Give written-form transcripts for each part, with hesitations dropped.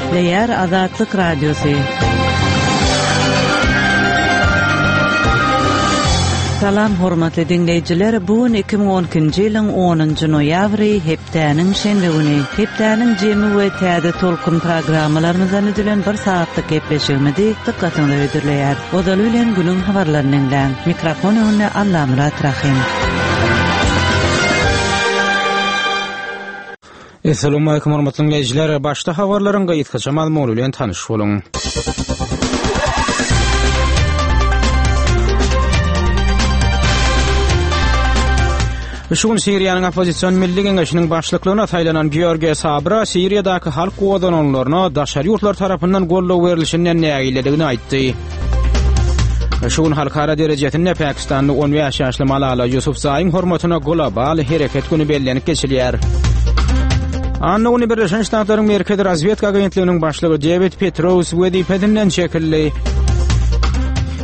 Gepleýär Azatlyk Radiosy. Salam hormatly diňleýjiler, bu gün 2012-nji ýylyň 10-njy noýabry, hepdäniň şenbe güni. Hepdäniň jemi we täze tolkun programmalarymyzdan düzülen bir sagatlyk gepleşigimizi dykgatyňyza hödürleýäris. Ozaly bilen günüň habarlaryny diňläň. Mikrofon öňünde Allamyrat Rahym. Essalawmalikim hormatly diňleýjiler. Başda habarlaryň gysgaça mazmuny bilen tanyş boluň. Şu gün Siriýanyň oppozision Milli Geňeşiniň başlyklygyna saýlanan Georgiýa Sabra Siriýadaky halk gozgalaňlaryna daşary ýurtlar tarapyndan goldaw berlişinden nägiledigini aýtdy. Şu gün halkara derejesinde Pakistanly 15 ýaşly Malala Ýusufzaýyň hormatyna global hereket güni bellenip geçilýär. Anna güni Birleşen Ştatlaryň Merkezi razwedka agentliginiň başlygy Dewid Petraeus wezipesinden çekildi.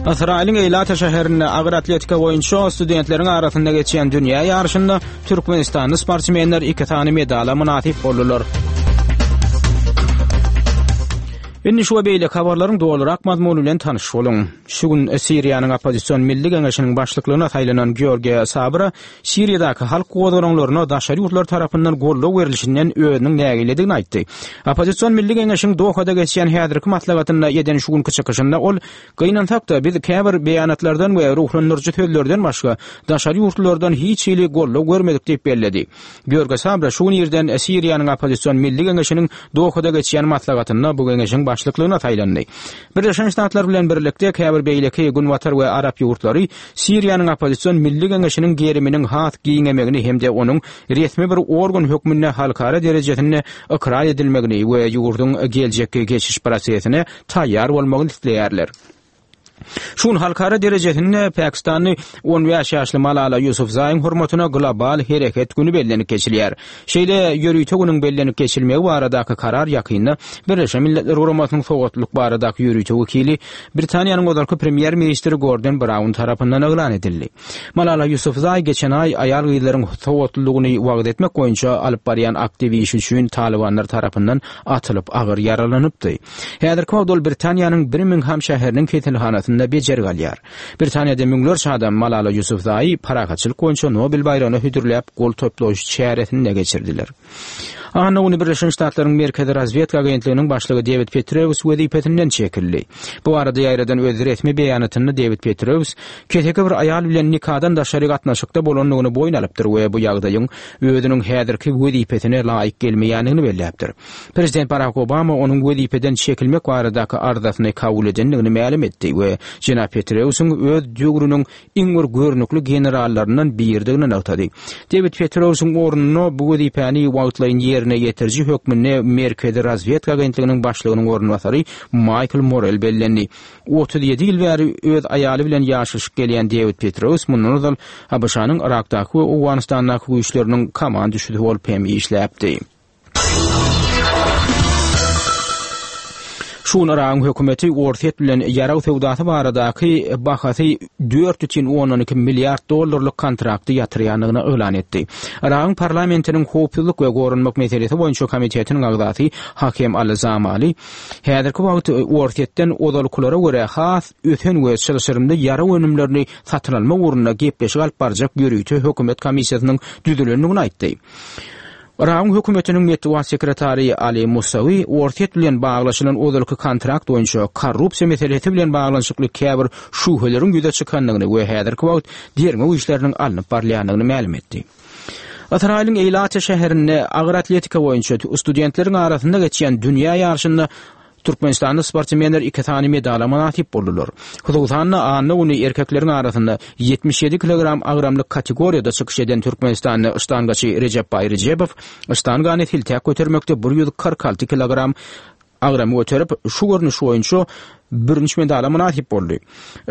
Ysraýylyň Eýlata şäherinde agyr atletika boýunça studentleriň arasynda geçýän dünýä ýaryşynda türkmenistanly sportsmenler iki sany medala mynasyp boldular. Indi şu we beýleki habarlaryň dolurak mazmuny bilen tanyş boluň. Şu gün Siriýanyň oppozision Milli Geňeşiniň başlyklygyna saýlanan Georgiýa Sabra Siriýadaky halk gozgalaňlaryna daşary ýurtlar tarapyndan goldaw berlişinden özüniň nägiledigini aýtdy. Oppozision Milli Geňeşiň Dohada geçýän häzirki maslahatynda eden şu günki çykyşynda ol Gynansak-da, biz käbir beýanatlardan we ruhlandyryjy sözlerden başga, daşary ýurtlulardan hiç hili goldaw görmedik diýip belledi. George Sabra şu gün irden Siriýanyň oppozision Milli Geňeşiniň Dohada geçýän maslahatynda bu geňeşiň başlyklygyna saýlandy. Birleşen Ştatlar bilen birlikde käbir beýleki günbatar we arap ýurtlary Siriýanyň oppozision Milli Geňeşiniň geriminiň has giňemegini hem-de onuň resmi bir organ hökmünde halkara derejesinde ykrar edilmegini we ýurduň geljekki geçiş prosesine taýýar bolmagyny isleýärler. Şu gün halkara derejesinde pakistanly 15 ýaşly Malala Ýusufzaýyň hormatyna global hereket güni bellenip geçilýär. Şeýle ýörite günüň bellenip geçilmegi baradaky karar ýakynda Birleşen Milletler Guramasynyň sowatlylyk baradaky ýörite wekili, Britaniýanyň ozalky premýer-ministri Gordon Braun tarapyndan yglan edildi. Malala Ýusufzaý geçen aý aýal-gyzlaryň sowatlylygyny wagyz etmek boýunça alyp barýan aktiw işi üçin talybanlar tarapyndan atylyp agyr ýaralanypdy. Häzirki wagt ol Britaniýanyň Birmingham şäheriniň keselhanasynda bejergi alýar. Britaniýada müňlerçe adam Malala Ýusufzaýy parahatçylyk boýunça Nobel baýragyna hödürläp gol toplaýyş çäresini geçirdiler. Anna güni Birleşen Ştatlaryň Merkezi razwedka agentliginiň başlygy Dewid Petrewus wezipesinden çekildi. Bu barada ýaýradan öz resmi beýanatynda Dewid Petrewus keseki bir aýal bilen nikadan daşary gatnaşykda bolandygyny boýun alypdyr we bu ýagdaýyň özüniň häzirki wezipesine laýyk gelmeýändigini belläpdir. Prezident Barak Obama onuň wezipeden çekilmek baradaky arzasyny kabul edendigini mälim etdi we jenap Petreusyň öz döwrüniň iň bir görnükli generallaryndan biridigini nygtady. Dewid Petreusyň ornuna bu wezipäni wagtlaýyn ýerine ýetiriji hökmünde Merkezi razwedka agentliginiň başlygynyň orunbasary Maýkl Morel bellendi. 37 ýyl bäri öz aýaly bilen ýaşaşyp gelýän Dewid Petraeus mundan ozal ABŞ-nyň Yrakdaky we Owganystandaky güýçleriniň komanduşysy bolup hem işläpdi. Şu gün Yragyň hökümeti Orsýet bilen ýarag söwdasy baradaky bahasy 4,2 milliard dollarlyk kontrakty ýatyrýandygyny yglan etdi. Yragyň parlamentiniň howpsuzlyk we goranmak meselesi boýunça komitetiniň agzasy Hakem al-Zamali Häzirki wagt Orsýetden ozalkylara görä has ösen we çylşyrymly ýarag önümlerini satyn almak ugrunda gepleşik alyp barjak ýörite hökümet komissiýasynyň düzülendigini aýtdy. Yragyň hökümetiniň metbugat sekretary Ali Musawi Orsýet bilen baglaşylan ozalky kontrakt boýunça korrupsiýa meselesi bilen baglanyşykly käbir şübheleriň ýüze çykandygyny we häzirki wagt derňew işleriniň alnyp barylýandygyny mälim etdi. Ysraýylyň Eýlata şäherinde agyr atletika boýunça studentleriň arasynda geçýän dünýä ýaryşynda türkmenistanly sportsmenler iki sany medala mynasyp boldular. Hususan-da, anna güni erkekleriň arasynda 77 kilogram agramlyk kategoriýada çykyş eden türkmenistanly ştangaçy Rejepbaý Rejebow ştangany siltäp götermekde 146 kilogram agramy göterip, şu görnüş boýunça bürünç medala mynasyp boldy.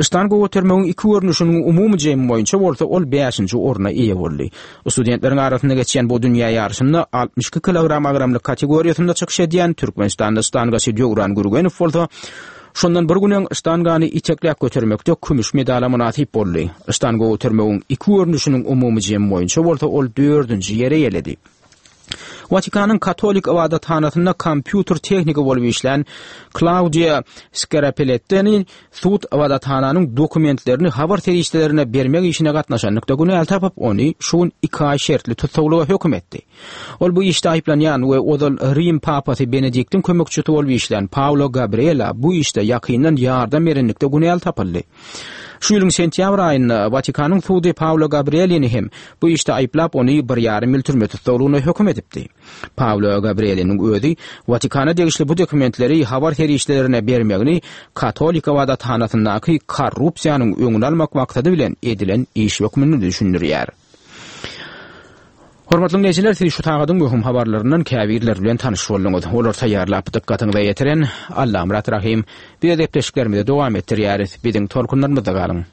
Ştanga götermegiň iki görnüşiniň umumy jemi boýunça bolsa ol bäşinji orna eýe boldy. Studentleriň arasynda geçýän bu dünýä ýaryşynda 62 kilogram agramlyk kategoriýasynda çykyş edýän türkmenistanly ştangaçy Döwran Gürgenow bolsa şondan bir gün öň ştangany itekläp götermekde kümüş medala mynasyp boldy. Ştanga götermegiň iki görnüşiniň umumy jemi boýunça bolsa ol dördünji ýeri eýeledi. Watikanyň katolik ybadathanasynda kompýuter tehniki bolup işlän Klaudiýa Skarapelettini sud ybadathananyň dokumentlerini habar serişdelerine bermek işine gatnaşanlykda günäli tapyp, ony şu gün iki aý şertli tussaglyga höküm etdi. Ol bu işde aýyplanýan we ozal Rim papasy Benediktiň kömekçisi bolup işlän Paolo Gabriela bu işde ýakyndan ýardam berenlikde günäli tapyldy. Şu ýylyň sentýabr aýynda Watikanyň sudy Paolo Gabrielini hem bu işde aýyplap, ony bir ýarym ýyl türme tussaglygyna höküm edipdi. Paolo Gabrieliniň özi Watikana degişli bu dokumentleri habar serişdelerine bermegini katolik ybadathanasyndaky korrupsiýanyň öňüni almak maksady bilen edilen iş hökmünde düşündirýär. Hormatly diňleýjiler, siz şu sagadyň möhüm habarlaryndan käbirleri bilen tanyş bolduňyz. Olary taýýarlap, dykgatyňyza ýetiren Allamyrat Rahym. Biz gepleşiklerimizi dowam etdirýäris. Biziň tolkunlarymyzda galyň.